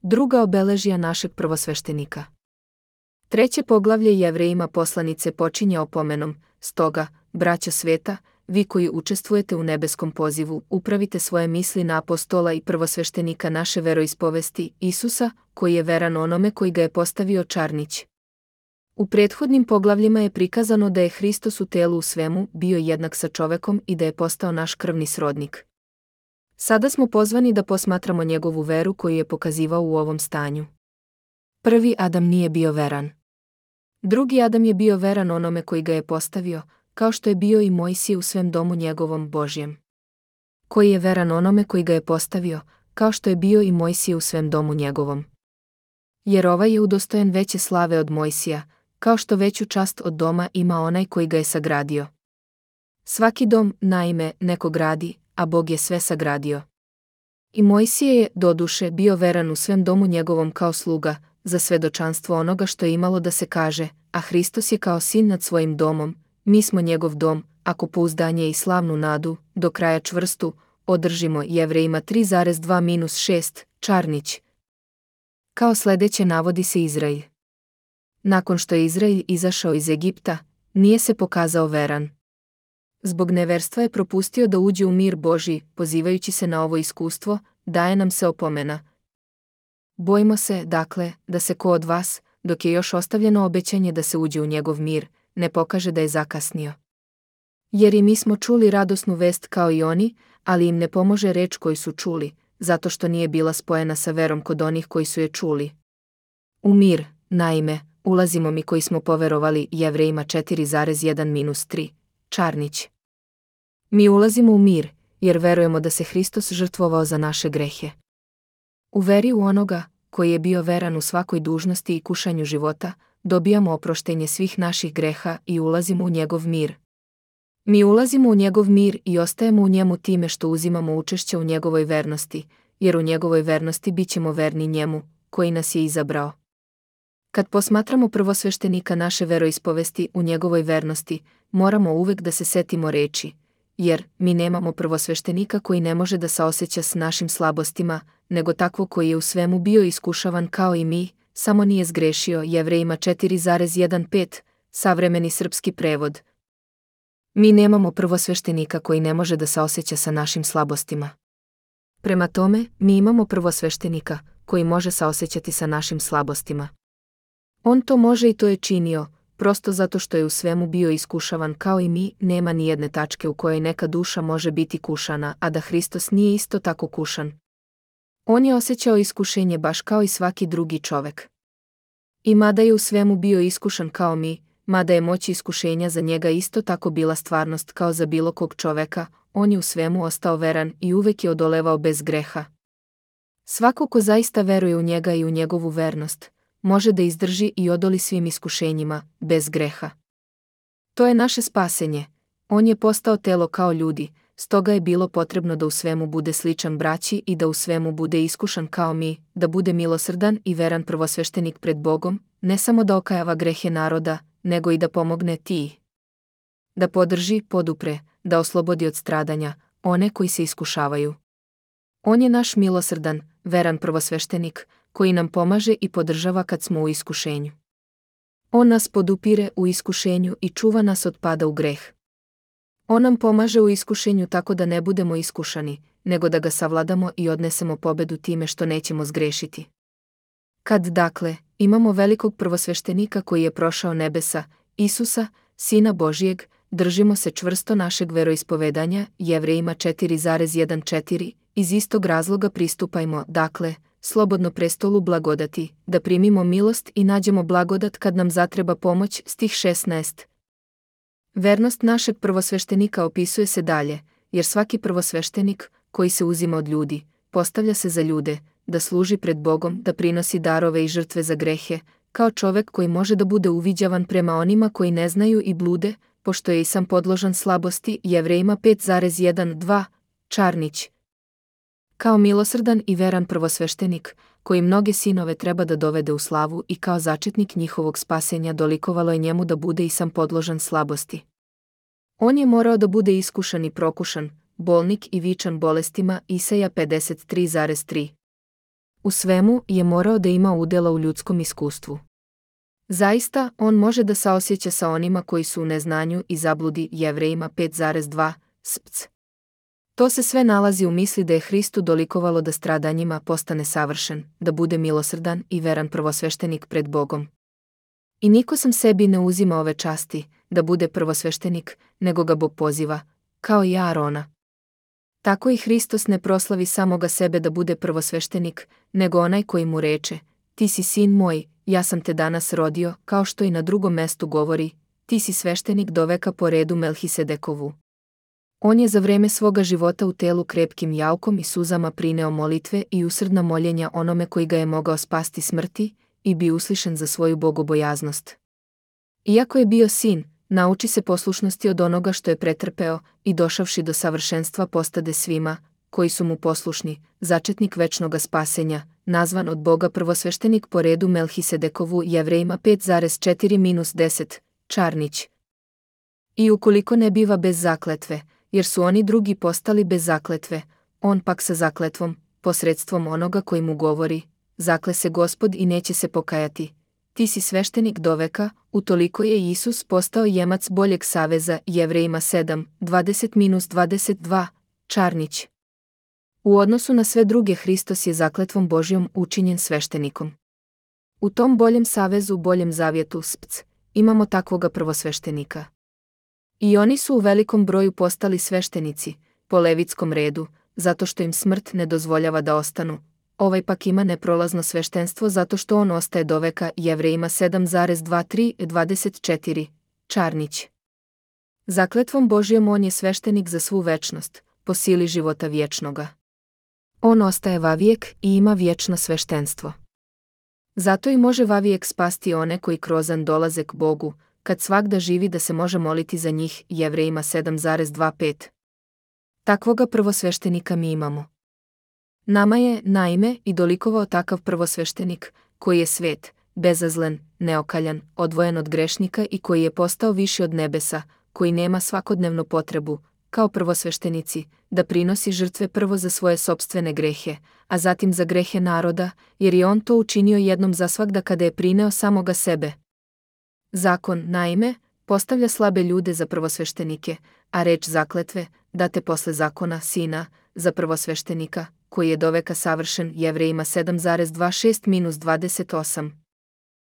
Druga obeležja našeg prvosveštenika. Treće poglavlje Jevrejima poslanice počinje opomenom, stoga, braćo sveta, vi koji učestvujete u nebeskom pozivu, upravite svoje misli na apostola i prvosveštenika naše veroispovesti, Isusa, koji je veran onome koji ga je postavio Čarnić. U prethodnim poglavljima je prikazano da je Hristos u telu u svemu bio jednak sa čovekom i da je postao naš krvni srodnik. Sada smo pozvani da posmatramo njegovu veru koju je pokazivao u ovom stanju. Prvi Adam nije bio veran. Drugi Adam je bio veran onome koji ga je postavio, kao što je bio i Mojsije u svem domu njegovom Božjem. Koji je veran onome koji ga je postavio, kao što je bio i Mojsije u svem domu njegovom. Jer ovaj je udostojen veće slave od Mojsija, kao što veću čast od doma ima onaj koji ga je sagradio. Svaki dom, naime, neko gradi, a Bog je sve sagradio. I Mojsije je, doduše, bio veran u svem domu njegovom kao sluga, za svedočanstvo onoga što je imalo da se kaže, a Hristos je kao sin nad svojim domom, mi smo njegov dom, ako pouzdanje i slavnu nadu, do kraja čvrstu, održimo. Jevrejima 3,2-6, Čarnić. Kao sljedeće navodi se Izrael. Nakon što je Izrael izašao iz Egipta, nije se pokazao veran. Zbog neverstva je propustio da uđe u mir Božji, pozivajući se na ovo iskustvo, daje nam se opomena. Bojimo se, dakle, da se ko od vas, dok je još ostavljeno obećanje da se uđe u njegov mir, ne pokaže da je zakasnio. Jer i mi smo čuli radosnu vest kao i oni, ali im ne pomože reč koju su čuli, zato što nije bila spojena sa verom kod onih koji su je čuli. U mir, naime, ulazimo mi koji smo poverovali. Jevrejima 4,1-3, Čarnić. Mi ulazimo u mir, jer verujemo da se Hristos žrtvovao za naše grehe. U veri u onoga, koji je bio veran u svakoj dužnosti i kušanju života, dobijamo oproštenje svih naših greha i ulazimo u njegov mir. Mi ulazimo u njegov mir i ostajemo u njemu time što uzimamo učešće u njegovoj vernosti, jer u njegovoj vernosti bit ćemo verni njemu, koji nas je izabrao. Kad posmatramo prvosveštenika naše veroispovesti u njegovoj vernosti, moramo uvek da se setimo reči, jer mi nemamo prvosveštenika koji ne može da saoseća s našim slabostima, nego takvo koji je u svemu bio iskušavan kao i mi, samo nije zgrešio. Jevrejima 4,1-5, savremeni srpski prevod. Mi nemamo prvosveštenika koji ne može da saoseća sa našim slabostima. Prema tome, mi imamo prvosveštenika koji može saosećati sa našim slabostima. On to može i to je činio, prosto zato što je u svemu bio iskušavan kao i mi. Nema ni jedne tačke u kojoj neka duša može biti kušana, a da Hristos nije isto tako kušan. On je osjećao iskušenje baš kao i svaki drugi čovek. I mada je u svemu bio iskušan kao mi, mada je moć iskušenja za njega isto tako bila stvarnost kao za bilo kog čoveka, on je u svemu ostao veran i uvek je odolevao bez greha. Svako ko zaista veruje u njega i u njegovu vernost, može da izdrži i odoli svim iskušenjima, bez greha. To je naše spasenje. On je postao telo kao ljudi, stoga je bilo potrebno da u svemu bude sličan braći i da u svemu bude iskušan kao mi, da bude milosrdan i veran prvosveštenik pred Bogom, ne samo da okajava grehe naroda, nego i da pomogne ti. Da podrži, podupre, da oslobodi od stradanja one koji se iskušavaju. On je naš milosrdan, veran prvosveštenik, koji nam pomaže i podržava kad smo u iskušenju. On nas podupire u iskušenju i čuva nas od pada u greh. On nam pomaže u iskušenju tako da ne budemo iskušani, nego da ga savladamo i odnesemo pobedu time što nećemo zgrešiti. Kad, dakle, imamo velikog prvosveštenika koji je prošao nebesa, Isusa, Sina Božijeg, držimo se čvrsto našeg veroispovedanja. Jevrejima 4,1-4, iz istog razloga pristupajmo, dakle, slobodno prestolu blagodati, da primimo milost i nađemo blagodat kad nam zatreba pomoć. Stih 16. Vernost našeg prvosveštenika opisuje se dalje, jer svaki prvosveštenik, koji se uzima od ljudi, postavlja se za ljude, da služi pred Bogom, da prinosi darove i žrtve za grehe, kao čovek koji može da bude uviđavan prema onima koji ne znaju i blude, pošto je i sam podložan slabosti. Jevrejima 5,1-2, Čarnić. Kao milosrdan i veran prvosveštenik, koji mnoge sinove treba da dovede u slavu i kao začetnik njihovog spasenja dolikovalo je njemu da bude i sam podložan slabosti. On je morao da bude iskušan i prokušan, bolnik i vičan bolestima. Isaja 53,3. U svemu je morao da ima udjela u ljudskom iskustvu. Zaista, on može da saosjeća sa onima koji su u neznanju i zabludi. Jevrejima 5,2 spc. To se sve nalazi u misli da je Hristu dolikovalo da stradanjima postane savršen, da bude milosrdan i veran prvosveštenik pred Bogom. I niko sam sebi ne uzima ove časti, da bude prvosveštenik, nego ga Bog poziva, kao i Aarona. Tako i Hristos ne proslavi samoga sebe da bude prvosveštenik, nego onaj koji mu reče: ti si sin moj, ja sam te danas rodio, kao što i na drugom mestu govori: ti si sveštenik do veka po redu Melhisedekovu. On je za vreme svoga života u telu krepkim jaukom i suzama prineo molitve i usrdna moljenja onome koji ga je mogao spasti smrti i bi uslišen za svoju bogobojaznost. Iako je bio sin, nauči se poslušnosti od onoga što je pretrpeo i došavši do savršenstva postade svima, koji su mu poslušni, začetnik večnoga spasenja, nazvan od Boga prvosveštenik po redu Melhisedekovu. Jevrejima 5,4-10, Čarnić. I ukoliko ne biva bez zakletve, jer su oni drugi postali bez zakletve, on pak sa zakletvom, posredstvom onoga koji mu govori: zakle se Gospod i neće se pokajati. Ti si sveštenik do veka, utoliko je Isus postao jemac boljeg saveza. Jevrejima 7:20-22, Čarnić. U odnosu na sve druge Hristos je zakletvom Božjom učinjen sveštenikom. U tom boljem savezu, boljem zavjetu spc, imamo takvoga prvosveštenika. I oni su u velikom broju postali sveštenici, po levitskom redu, zato što im smrt ne dozvoljava da ostanu. Ovaj pak ima neprolazno sveštenstvo zato što on ostaje do veka. Jevrejima 7,23-24, Čarnić. Zakletvom Božjom on je sveštenik za svu večnost, po sili života vječnoga. On ostaje vavijek i ima vječno sveštenstvo. Zato i može vavijek spasti one koji krozan dolaze k Bogu, kad svagda živi da se može moliti za njih. Jevrejima 7,25. Takvoga prvosveštenika mi imamo. Nama je, naime, i dolikovao takav prvosveštenik, koji je svet, bezazlen, neokaljan, odvojen od grešnika i koji je postao viši od nebesa, koji nema svakodnevnu potrebu, kao prvosveštenici, da prinosi žrtve prvo za svoje sopstvene grehe, a zatim za grehe naroda, jer je on to učinio jednom zasvagda kada je prineo samoga sebe. Zakon, naime, postavlja slabe ljude za prvosveštenike, a reč zakletve, date posle zakona sina, za prvosveštenika, koji je do veka savršen. Jevrejima 7,26-28.